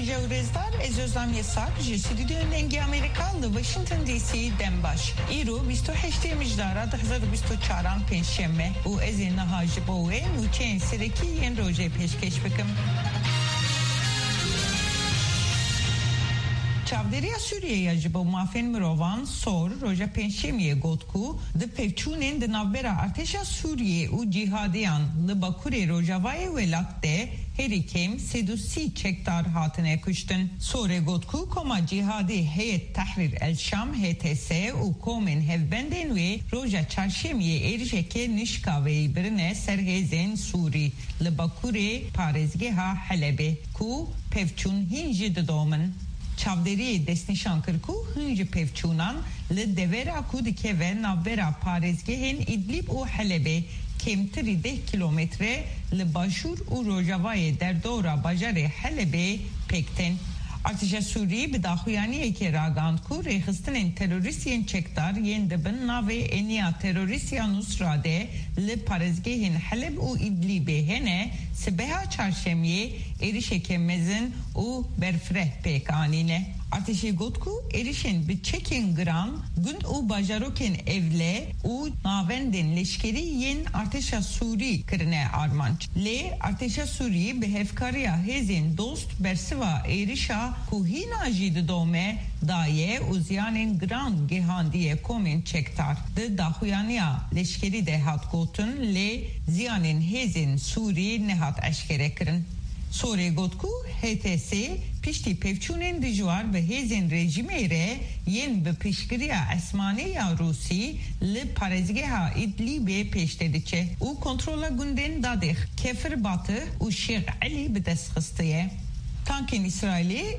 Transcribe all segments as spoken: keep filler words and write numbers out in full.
Ji û rêzdar, ez Özlem Yasak, ji Stûdyoyên Dengê Amerîka li Washington D C dem baş. Îro bîst û heştê Mijdara du hezar û bîst û çaran pêncşeme û ez ê niha ji bo we nûçeyên serekî yên rojê pêşkêş bikim. Çavdêriya Sûriyê ya ji bo mafên mirovan, SOHR, roja pêncşemiyê got ku di pevçûnên di navbera artêşa Sûriyê û cîhadiyan li bakurê rojavayê welat de herî kêm sed û sî çekdar hatine kuştin. SOHRê got ku koma cîhadî Heyet Tehrîr El Şam, H T S, û komên hevbendên wê roja çarşemiyê êrişeke nişkaveyî birine ser hêzên Sûrî li bakurê parêzgeha Helebê, ku pevçûn hîn jî didomin. Çavdêriyê destnîşan kir ku hin ji pevçûnan li devera ku dikeve navbera parêzgehên Îdlîb û Helebê, kêmtirî deh kîlometre li başûr û rojavayê derdora bajarê Helebê pêk tên. Artêşa Sûrî bi daxuyaniyekê ragihand ku rêxistinên terorîst yên çekdar yên di bin navê Eniya Terorîst ya Nusra de li parêzgehên Heleb û Îdlîbê hene, sibeha çarşemiyê êrişeke mezin û berfireh pêk anîne. Artêşê got ku êrişên bi çekên giran gund û bajarokên ewle û navendên leşkerî yên artêşa Sûrî kirine armanc. Lê artêşa Sûrî bi hevkariya hêzên dost bersiva êrişa ku hîna jî didome daye û ziyanên giran gihandiye komên çekdar. Di daxuyaniya leşkerî de hat gotin, lê ziyanên hêzên Sûrî nehat eşkere kirin. SOHRê got ku H T S piştî pevçûnên dijwar bi hêzên rejîmê re yên bi piştgiriya esmanî ya Rûsî li parêzgeha Îdlîbê pêş de diçe û kontrola gundên Dadêx, Kefir Batih û Şêx Elî bi dest xistiye. Tankên Îsraîlê,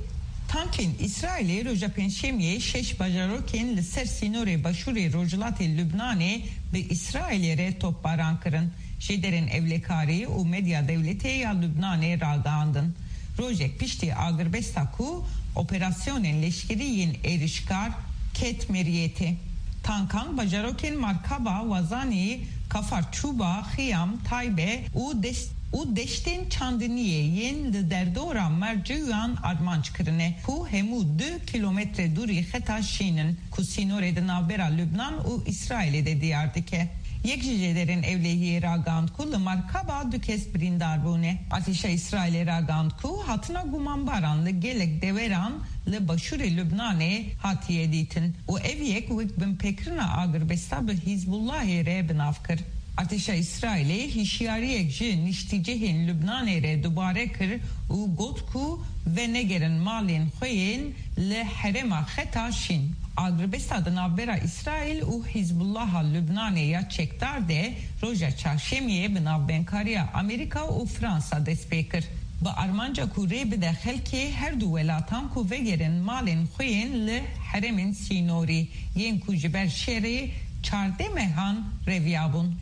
tankên Îsraîlê roja Pêncşemiyê şeş bajarokên li ser sînorê başûrê rojhilatê Lubnanê bi Îsraîlê re topbaran kirin. Jêderên ewlekarî û medya dewletê ya Lubnanê ragihandin, rojek piştî agirbesta ku operasyonên leşkerî yên êrişkar ket meriyetê, tankan bajarokên Markaba, Wazanî, Kafar Çûba, Xiyam, Taybe û deş-, û deştên çandiniyê yên li derdora Mercûyan armanc kirine, ku hemû du kîlometre dûrî xeta şîn in, ku sînorê di navbera Lubnan û Îsraîlê de diyar dike. Yek ji jêderên ewlehiyê ragihand ku li Markaba du kes birîndar bûne. Artêşa Îsraîlê ragihand ku hatina gumanbaran li gelek deveran li başûrê Lubnanê hatiye dîtin û ev yek wek binpêkirina agirbesta bi Hîzbullahê re bi nav kir. Artêşa Îsraîlê hişyariyek ji niştîcihên Lubnanê re dubare kir û got ku venegerin malên xwe yên li herêma xeta şîn. Agirbesta di navbera Îsraîl û Hîzbullaha Lubnanê ya çekdar de roja çarşemiyê bi navbenkariya Amerîka û Fransa dest pê kir. Bi armanca ku rê bide xelkê her du welatan ku vegerin malên xwe yên li herêmên sînorî yên ku ji ber şerê çardeh mehan reviyabûn.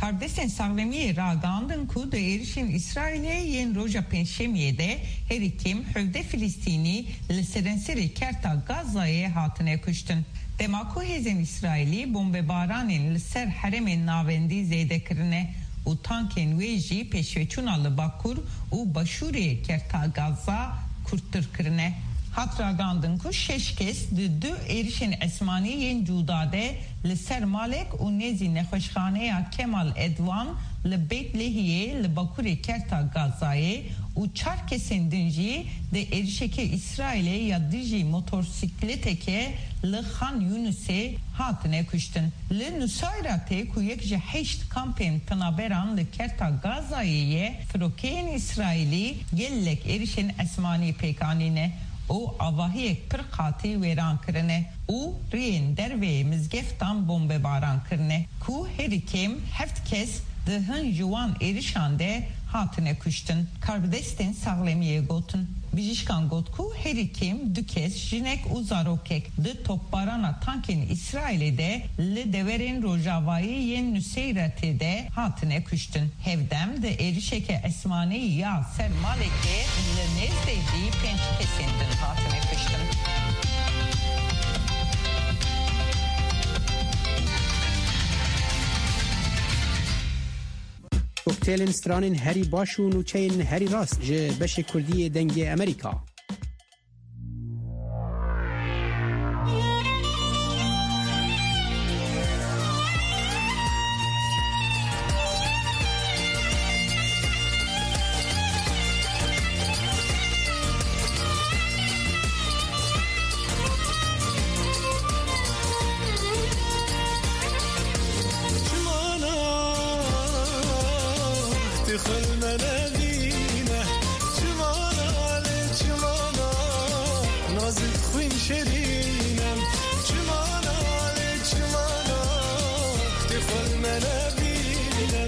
Karbidestên saxlemiyê ragihandin ku di êrişên Îsraîlê yên roja Pêncşemiyê de herî kêm hevdeh Filistînî li serenserê kerta Gazayê hatine kuştin. Dema ku hêzên Îsraîlî bombebaranên li ser herêmên navendî zêde kirine û tankên wê jî pêşveçûna li bakur û başûrê kerta Gaza kûrtir kirine. Hat ragihandin ku şeş kes di du êrişên esmanî yên cuda de li ser malek û nêzî nexweşxaneya Kemal Edwan li Beyt Lehiyê li bakurê kerta Gazayê û çar kesên din jî di êrişeke Îsraîlê ya dijî motorsîkleteke li Xan Yûnisê hatine kuştin. Li Nusayratê ku yek ji heşt kampên penaberan li kerta Gazayê ye, firokeyên Îsraîlî gelek êrişên esmanî pêk anîne û avahiyek pir qatî wêran kirine û riyên derveyê mizgeftan bombebaran kirine, ku herî kêm heft kes di hin ji wan êrişan de hatine kuştin, karbidestên saxlemiyê gotin. Bijîşkan got ku herî kêm du kes, jinek û zarokek, di topbarana tankên Îsraîlê de li deverên rojavayî yên Nuseyretê de hatine kuştin. Hevdem di êrişeke esmanî ya ser malekê li nêzdeyî pênc kesên din hatine kuştin. Kokteylên stranên herî baş û nûçeyên herî rast ji beşê kurdî yê Dengê Amerîka. Xwe li me nebîne, çimana lê çimana, nazik xwîn şerîne. Çimana lê çimana, tê xwe li me nebîne.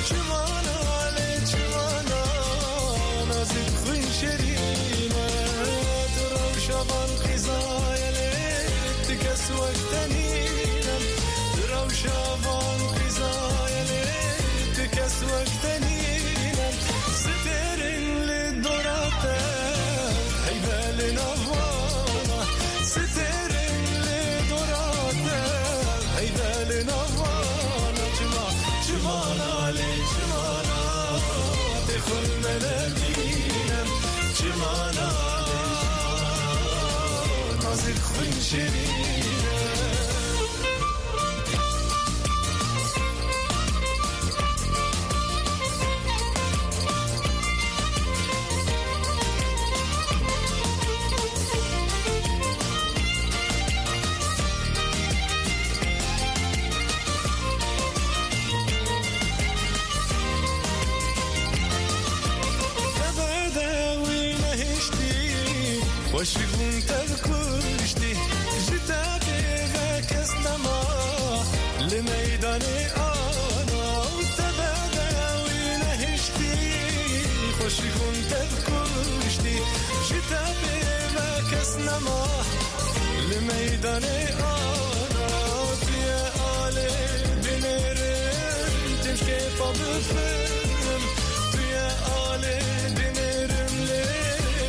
Çimana lê çimana, nazik xwîn şerîne. Tu rewşa van qîzayê lê, tu kes wek te nîne. Tu rewşa van qîzayê lê, tu kes wek te nîne. Sitêrên li dora te, heyve li nav wana. Sitêrên li dora te, heyve li nav wana. Çima, çimana lê çimana, tê xwe li me nebîne. Çimana, nazik xwîn şirîne. Te bedewî nehiştî, xweşik bûn te kuştî. Ji te bêve kes nema li meydanê ana. Te bedewî nehiştî, xweşik bûn te kuştî. Ji te bêve kes nema li meydanê ana. Tu ye alê binêrim, tim ji kêfa bifirim. Tu ye alê binêrim, lê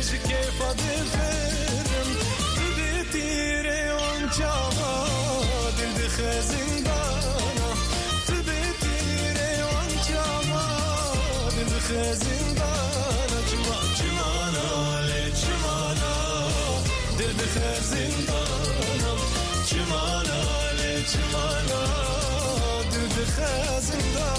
ji kêfa difirim. Tu bê tîrê wan çawa, dil dixe zindana. Tu bê tîrê wan çawa, dil dixe zindana. Çima, çimana lê çimana, dil dixe zindana. Çimana lê çimana, dil dixe zindana.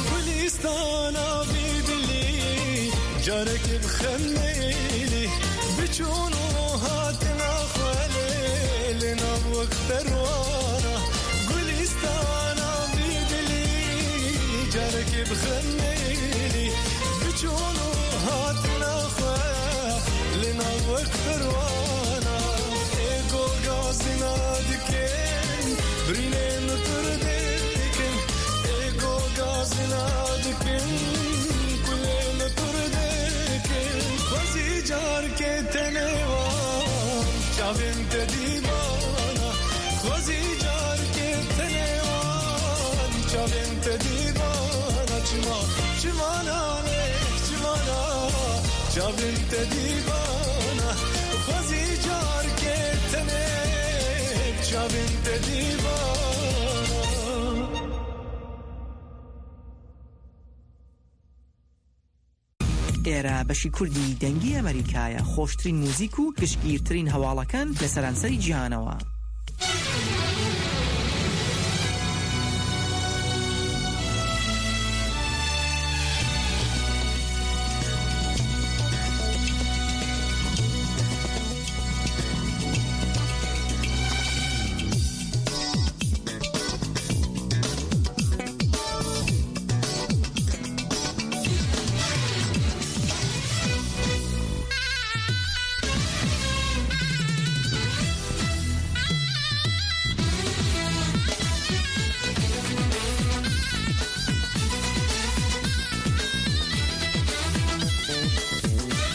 Gulîstana vî dilî, carekê bi xemêlî, bi çûn û hatina xwe lê, li nav wek perwana. Gulîstana vî dilî, carekê bi xemêlî, bi çûn û hatina xwe, li nav wek perwana. Ê ku gazîna dikin, birînên tur dikin. Ê ku gazîna dikin, kulên tur dikin. Xwezî carkê tenê wan çavên te dîbana. Xwezî carkê tenê wan çavên te dîbana. Çima, çimana lê çimana, çavên te dîbana. Xwezî carkê tenê çavên te dîbana. ئێرە بەشی کوردی دەنگی ئەمریکایە، خۆشترین موزیک و گشتگیرترین هەواڵەکان لە سەرانسەری جیهانەوە.